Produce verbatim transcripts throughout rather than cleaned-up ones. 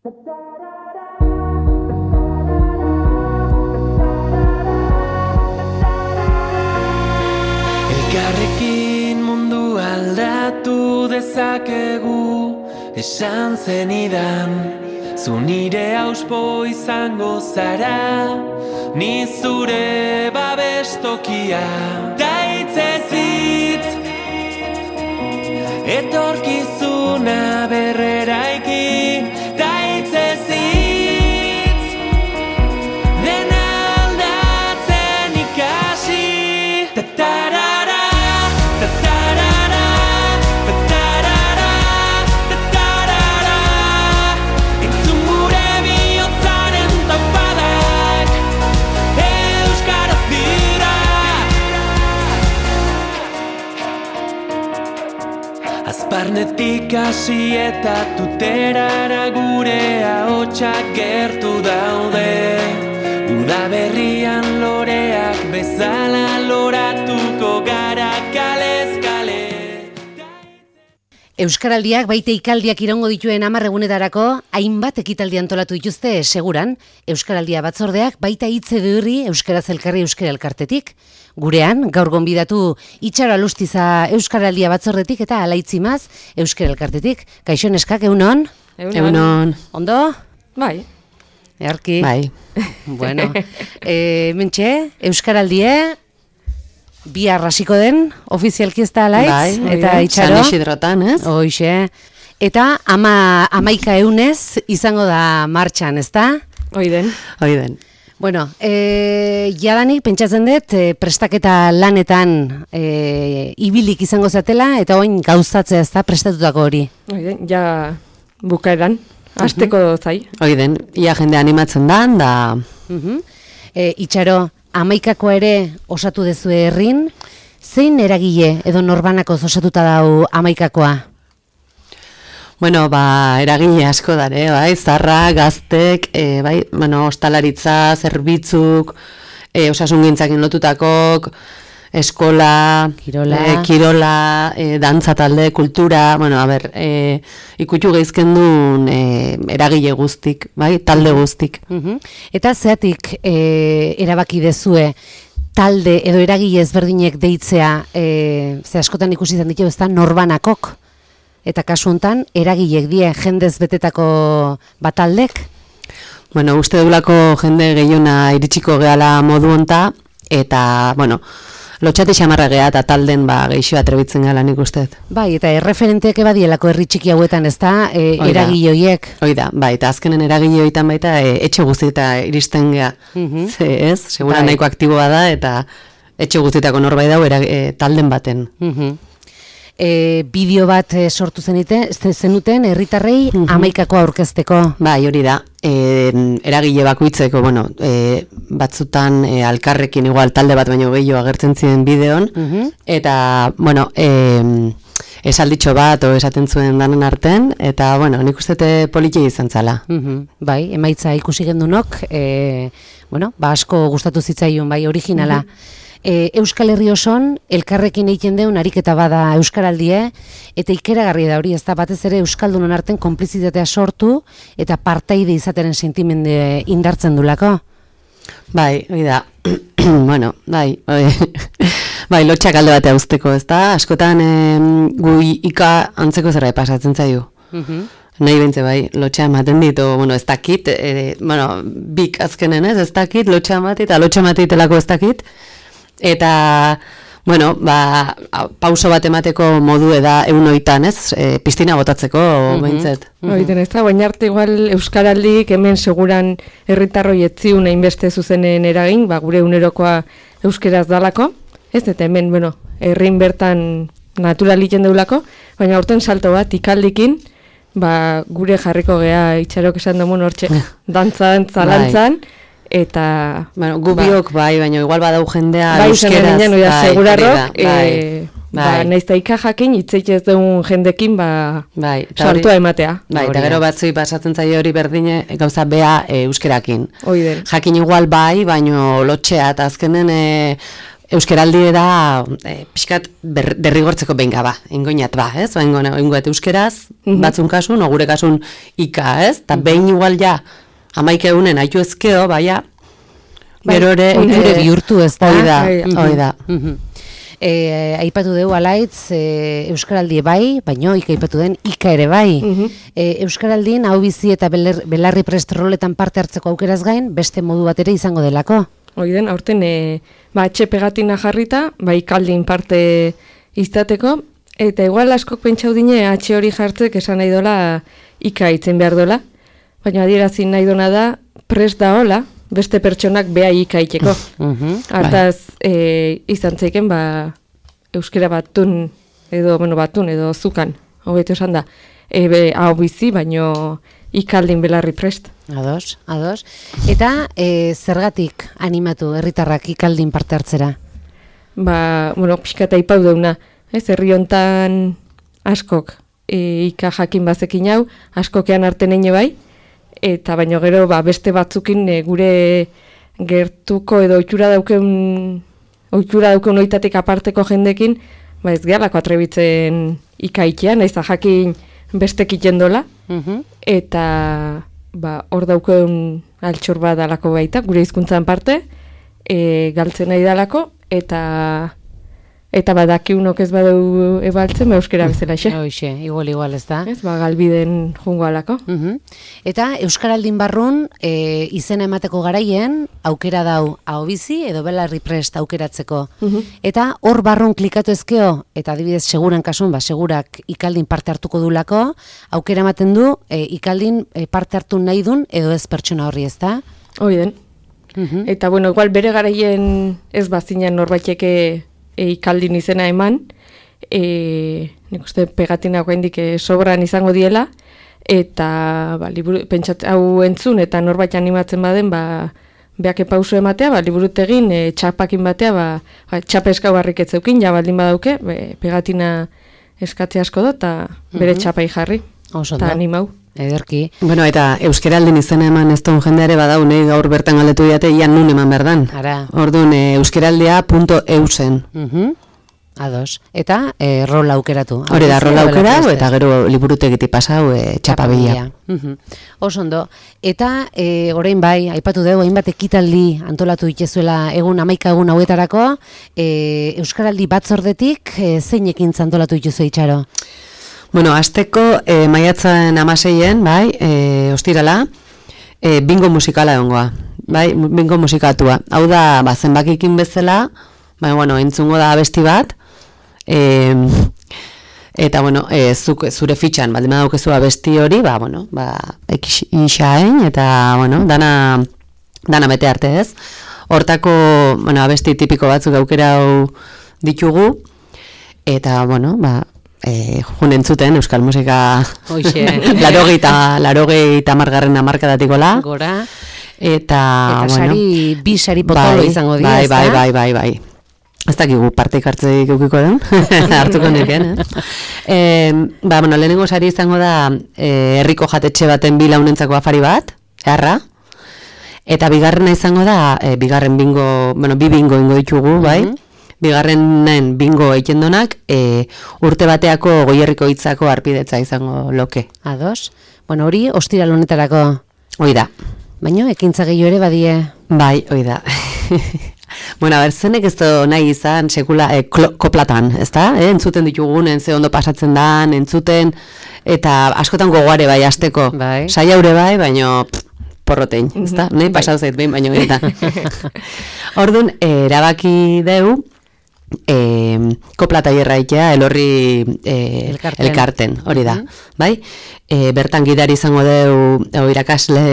Elkarrekin mundu aldatu dezakegu, esan zenidan, zu nire auspo izango zara, ni zure babestokia. Daitzez hitz, etorkizuna berreraiki, daitzez hitz, dena aldatzen ikasi. Tatarara, tatarara, tatarara, tatarara, entzun gure bihotzaren taupadak, euskaraz dira. Azparnetik hasi eta tuterara gure ahotsak gertu daude, udaberrian loreak bezala loratuko gara kalez kale. Euskaraldiak baite ikaldiak irango dituen hamar egunetarako hainbat ekitaldi antolatu dituzte seguran. Euskaraldia batzordeak baita hitz edurri Euskaraz elkarri euskara elkartetik. Gurean, gaur gonbidatu Itxaro Alustiza Euskaraldia batzordetik eta Alaitzimaz euskara elkartetik. Kaixo neskak, egunon? Egunon. Ondo? Bai. Earki? Bai. Bueno, e, mentxe, Euskaraldie, bihar hasiko den, ofizialki ez da Alaitz, Bai, eta bai, Itxaro. San Isidrotan, ez? Hoxe. Eta ama, amaika eunez izango da martxan, ez da? Oiden. Oiden. Bueno, e, jadanik pentsatzen dut e, prestaketa lanetan e, ibilik izango zatela, eta oin gauzatzea ez da prestatutako hori. Oiden, ja bukaeran, hasteko zai. Oiden, ia jende animatzen da, da... Uh-huh. E, Itxaro, amaikako ere osatu dezue herrin, zein eragile edo norbanakoz osatuta dau amaikakoa? Bueno, ba, eragile asko dare, bai, zarra, gaztek, e, bai, bueno, ostalaritza, zerbitzuk, e, osasungintzakin lotutakok, eskola, Kirola, e, kirola e, dantza talde, kultura, bueno, a ber, e, ikutu geizken duen e, eragile guztik, bai, talde guztik. Uh-huh. Eta zeatik e, erabaki dezue talde edo eragile ezberdinek deitzea, e, ze askotan ikusi izan ditu, ez da, norbanakok? Eta kasu hontan eragilek die jendez betetako bataldek? Bueno, uste dugulako jende gehiona iritsiko gehala modu honta, eta, bueno, lotxate xamarra geha eta talden ba, geixo atrebitzen gala nik usteet. Bai, eta erreferenteak ebadielako herri txiki hauetan, ez da, e, eragile horiek? Oida, bai, eta azkenen eragile horietan baita e, etxe guztieta iristen geha. Uh-huh. Ze ez, segura Bai. nahiko aktiboa da, eta etxe guztietako norbait dau era, e, talden baten. Uh-huh. E, bideo bat e, sortu zenite, zenuten herritarrei uh-huh. amaikako aurkezteko. Bai, hori da. E, eragile bakoitzeko, bueno, e, batzutan e, alkarrekin igual talde bat baino gehiago agertzen ziren bideon, Uh-huh. eta, bueno, e, esalditxo bat o esaten zuen danen arten, eta, bueno, nik uste politia izan zala. Uh-huh. Bai, emaitza ikusi gendunok, e, bueno, ba asko gustatu zitzaion, bai, originala. Uh-huh. E, Euskal Herri oson, elkarrekin egiten deun ariketa bada Euskaraldie, eta ikeragarri da hori, ez da batez ere Euskaldunon arten konplizitatea sortu, eta partaide izateren sentimende indartzen dulako. Bai, hori da, bueno, bai, bai, bai, lotxak alde batea usteko, ez da, askotan e, gu ika antzeko zerra pasatzen zaio. Uh-huh. Nahi bentze bai, lotxa ematen dit, o, bueno, ez dakit, e, bueno, bik azkenen ez, ez dakit, lotxa ematit, eta lotxa ematitelako ez dakit, eta, bueno, ba, pauso bat emateko modu eda eunoitan, ez, e, piztina botatzeko, mm-hmm. behintzet. Mm-hmm. Oiten ez da, baina arte igual Euskaraldik hemen seguran herritarroi etziun hainbeste zuzenen eragin, ba, gure unerokoa euskeraz dalako, ez, eta hemen, bueno, herrin bertan natural egiten deulako, baina aurten salto bat ikaldikin, ba, gure jarriko gea Itxarok esan dugun hortxe, dantzan, zalantzan, eta... Bueno, gubiok ba, bai, baina igual badau jendea bai, euskeraz. Bai, bai, segurarrok, bai, e, bai. Ba, naizta ikajakin, itzeik ez dugun jendekin, ba, bai, sartua ematea. Bai, eta gero batzui pasatzen zaio hori berdine, gauza bea e, euskerakin. Oiden. Jakin igual bai, baino lotxea, eta azkenen... E, euskeraldi da e, pixkat ber, derrigortzeko benga ba, ingoinat ba, ez? Ba, ingoet euskeraz, mm-hmm. batzun kasun, o gure kasun ika, ez? Ta mm-hmm. behin igual ja, amaik egunen haitu ezkeo, baina, gero ere... Oiture bihurtu ez da. Hoi da, hoi da. Mm-hmm. E, aipatu dugu alaitz e, euskaraldi bai, baino ika aipatu den ika ere bai. Mm-hmm. e, Euskaraldin hau bizi eta beler, belarri prest roletan parte hartzeko aukeraz gain, beste modu bat ere izango delako. Oiden, aurten e, ba, etxe pegatina jarrita, ba, ikaldin parte izateko, eta igual askok pentsau dine atxe hori jartzek esan nahi dola ika itzen behar dola, baina adierazin nahi dona da prest da hola, beste pertsonak beha ikaiteko. Uh-huh. Artaz, e, izan zeiken, ba, euskera batun, edo, bueno, batun, edo zukan, hobeto esan da, ebe, hau bizi, baino ikaldin belarri prest. Ados, ados. Eta e, zergatik animatu herritarrak ikaldin parte hartzera? Ba, bueno, pixkata ipau deuna, ez, herri hontan askok e, ika jakin bazekin hau, askokean arteneine bai, eta baino gero ba, beste batzukin e, gure gertuko edo ohitura dauken ohitura dauken oitatik aparteko jendekin, ba ez gehalako atrebitzen ikaitea, naiz da jakin bestek itendola, uh-huh. eta ba hor dauken altxor bat dalako baita, gure hizkuntzan parte, e, galtzen nahi dalako, eta eta badakiunok ez badeu ebaltzen, euskera bezala xe. Hoxe, igual, igual ez da. Ez, ba, galbiden jungo alako. Uh-huh. Eta Euskaraldin barrun, e, izena emateko garaien, aukera dau ahobizi edo belarri prest aukeratzeko. Uh-huh. Eta hor barrun klikatu ezkeo, eta adibidez seguran kasun, ba, segurak ikaldin parte hartuko dulako, aukera ematen du, e, ikaldin e, parte hartu nahi dun, edo ez pertsona horri ez da? Oiden. Uh-huh. Eta, bueno, igual bere garaien ez bazinen norbaiteke E, ikaldin izena eman, e, nik uste pegatina oraindik e, sobran izango diela, eta ba, liburu, pentsat, hau entzun eta norbait animatzen baden, ba, beake pauso ematea, ba, liburutegin e, txapakin batea, ba, ba, txapa eskau barrik etzeukin, ja baldin badauke, be, pegatina eskatze asko da, eta bere mm-hmm. txapai jarri, eta animau. Ederki. Bueno, eta euskeraldin izena eman ez duen jendeare badau, nahi gaur bertan galdetu diate, ian nun eman berdan. Ara. Orduan, e, euskeraldia punto eusen. Uh-huh. Ados. Eta e, rola aukeratu. Hori da, rola aukeratu, eta gero liburutegiti pasau e, txapabila. Uh-huh. Osondo. Eta e, orain bai, aipatu dugu, hainbat ekitaldi antolatu itezuela egun hamaika egun hauetarako, e, euskaraldi batzordetik e, zein ekintza antolatu itezu itxaro? Bueno, azteko e, maiatzen amaseien, bai, e, ostirala, e, bingo musikala egongoa, bai, bingo musikatua. Hau da, ba, zenbakikin bezala, bai, bueno, entzungo da abesti bat, e, eta, bueno, e, zuk, zure fitxan, baldin badaukezu abesti hori, ba, bueno, ba, ekixain, eta, bueno, dana, dana bete arte ez. Hortako, bueno, abesti tipiko batzuk aukera hau ditugu, eta, bueno, ba, Eh, jun entzuten euskal musika larogeita larogeita margarren amarkadatikola gora eta, eta bueno, sari, bi sari potolo bai, izango dira, bai, bai, bai, bai, bai. Ez dakigu parteik hartzeik eukiko den, hartuko neken, eh? eh? Ba, bueno, lehenengo sari izango da eh, herriko jatetxe baten bi launentzako afari bat, erra, eta bigarrena izango da, eh, bigarren bingo, bueno, bi bingo ingo ditugu, bai? Mm-hmm. Bigarrenen bingo eikendonak e, urte bateako goierriko hitzako arpidetza izango loke. Ados? Bueno, hori ostiral honetarako. Hoi da. Baina ekintza gehiago ere badie. Bai, hoi da. Bueno, a ber, zenek ez da nahi izan sekula e, klo, koplatan, ez da? E, entzuten ditugunen, ze ondo pasatzen dan, entzuten, eta askotan gogoare bai azteko. Bai. Saiaure bai, baino... porrotein, ez da? Nahi pasau zait behin, baino eta. Orduan, erabaki deu, E, koplata irraitea elorri e, elkarten. elkarten, hori da, uh-huh. bai? E, bertan gidari izango deu o, irakasle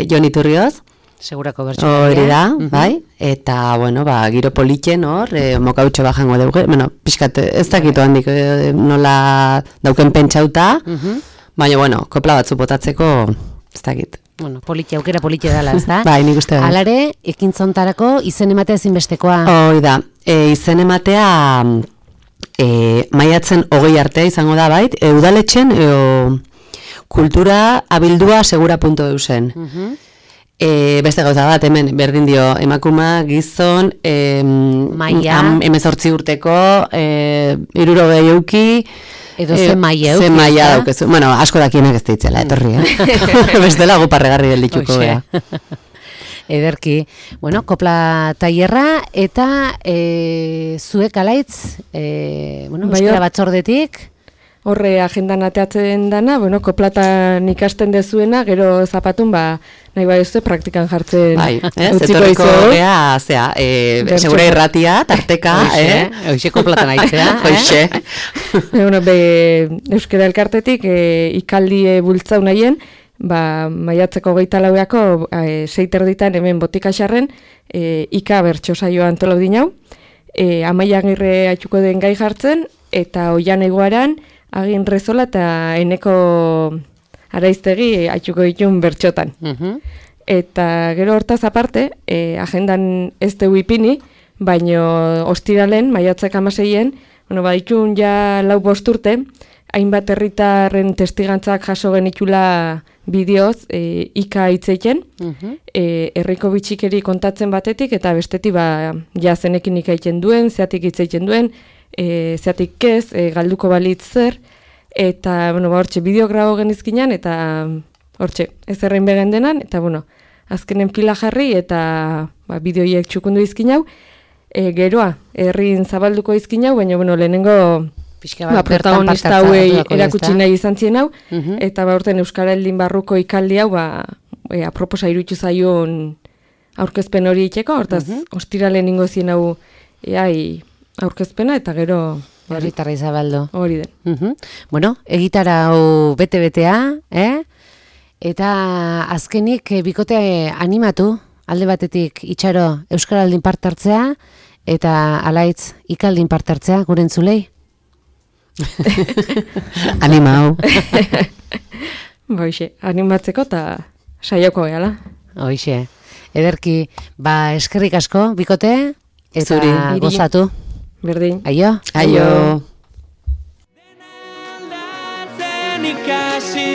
Jon Iturrioz, segurako bertxo hori da, uh-huh. bai? Eta, bueno, ba, giro politxen hor, e, mokautxo bajango dugu, bueno, pixkat ez dakitu handik e, nola dauken pentsauta, uh-huh. baina, bueno, kopla batzu botatzeko ez dakit. Bueno, politia, aukera politia dela, ez da? Bai, nik uste da. Alare, ekintzontarako izen ematea ezinbestekoa. Hoi da, e, izen ematea e, maiatzen hogei artea izango da, bait, e, udaletxen, e, kultura abildua segura puntu eusen. Uh-huh. E, beste gauza bat, hemen, berdin dio, emakuma, gizon, e, Maia. emezortzi urteko, e, irurogei euki, Edo ze maia euki. Ze maia daukezu. Bueno, asko dakienak ez deitzela, etorri, eh? Bestela guparregarri geldituko bea. Ederki. Bueno, kopla tailerra eta e, zuek alaitz, e, bueno, Bai, euskara hor- batzordetik, Horre agendan ateatzen dana, bueno, koplatan ikasten dezuena, gero zapatun, ba, nahi bai ez praktikan jartzen Bai, ez? utziko Etorriko dizu. gea, zea, e, Bertso. segura irratia, tarteka, eh? Hoxe koplatan aitzea, eh? Hoxe. E, bueno, be, Euskara Elkartetik e, ikaldie bultzau nahien, ba, maiatzeko geita laueako e, seiter ditan hemen botika xarren, e, ika bertso saioa antolau dinau, e, Amaia Agirre atxuko den gai jartzen, eta oian egoaran, Agin Rezola eta eneko araiztegi atxuko ditun bertxotan. Mhm. Eta gero hortaz aparte, e, agendan ez deu ipini, baino ostiralen, maiatzak amaseien, bueno, baditun ja lau bosturte, hainbat herritarren testigantzak jaso genitula bideoz, e, ika hitzeiten, Mhm. e, herriko bitxikeri kontatzen batetik, eta bestetik ba, ja zenekin ikaiten duen, zeatik hitzeiten duen, e, zeatik ez, e, galduko balitz zer, eta, bueno, ba, hortxe, bideo grabo genizkinan, eta hortxe, ez errein begen denan, eta, bueno, azkenen pila jarri, eta ba, bideoiek txukundu izkin hau, e, geroa, herrin zabalduko izkin hau, baina, bueno, lehenengo Pixka ba, bat bertan protagonista parte hauei hartuko erakutsi ezta? nahi izan zien hau, Mhm. eta ba, urten Euskara Heldin barruko ikaldi hau, ba, e, aproposa iruditu zaion aurkezpen hori itxeko, hortaz, ostiralen ingo zien hau eai aurkezpena, eta gero Herritarra Izabaldo. hori den. Mhm. Bueno, egitara hau bete-betea, eh? Eta azkenik eh, bikote animatu, alde batetik itxaro Euskaraldin parte hartzea, eta alaitz ikaldin parte hartzea, gure entzulei. Anima hau. Ba, hoxe, animatzeko eta saioko gehala. Hoixe. Ederki, ba eskerrik asko, bikote, eta Zuri. gozatu. Berdin. Aio? Aio. Aldatzen ikasi